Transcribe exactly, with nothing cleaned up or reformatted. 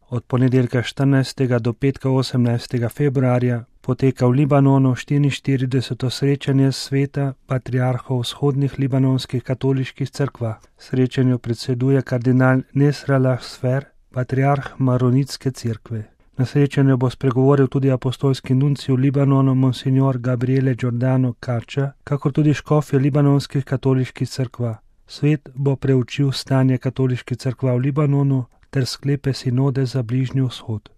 od ponedeljka štirinajstega do petka osemnajstega februarja poteka v Libanonu štiriinštirideseto srečanje sveta patriarhov vzhodnih libanonskih katoliških cerkva. Srečanju predseduje kardinal Nesrallah Sfer, patriarh Maronitske cerkve. Na srečanju bo spregovoril tudi apostolski nuncij v Libanonu monsignor Gabriele Giordano Kača, kakor tudi škofje libanonskih katoliških cerkva. Svet bo preučil stanje katoliških cerkva v Libanonu ter sklepe sinode za Bližnji vzhod.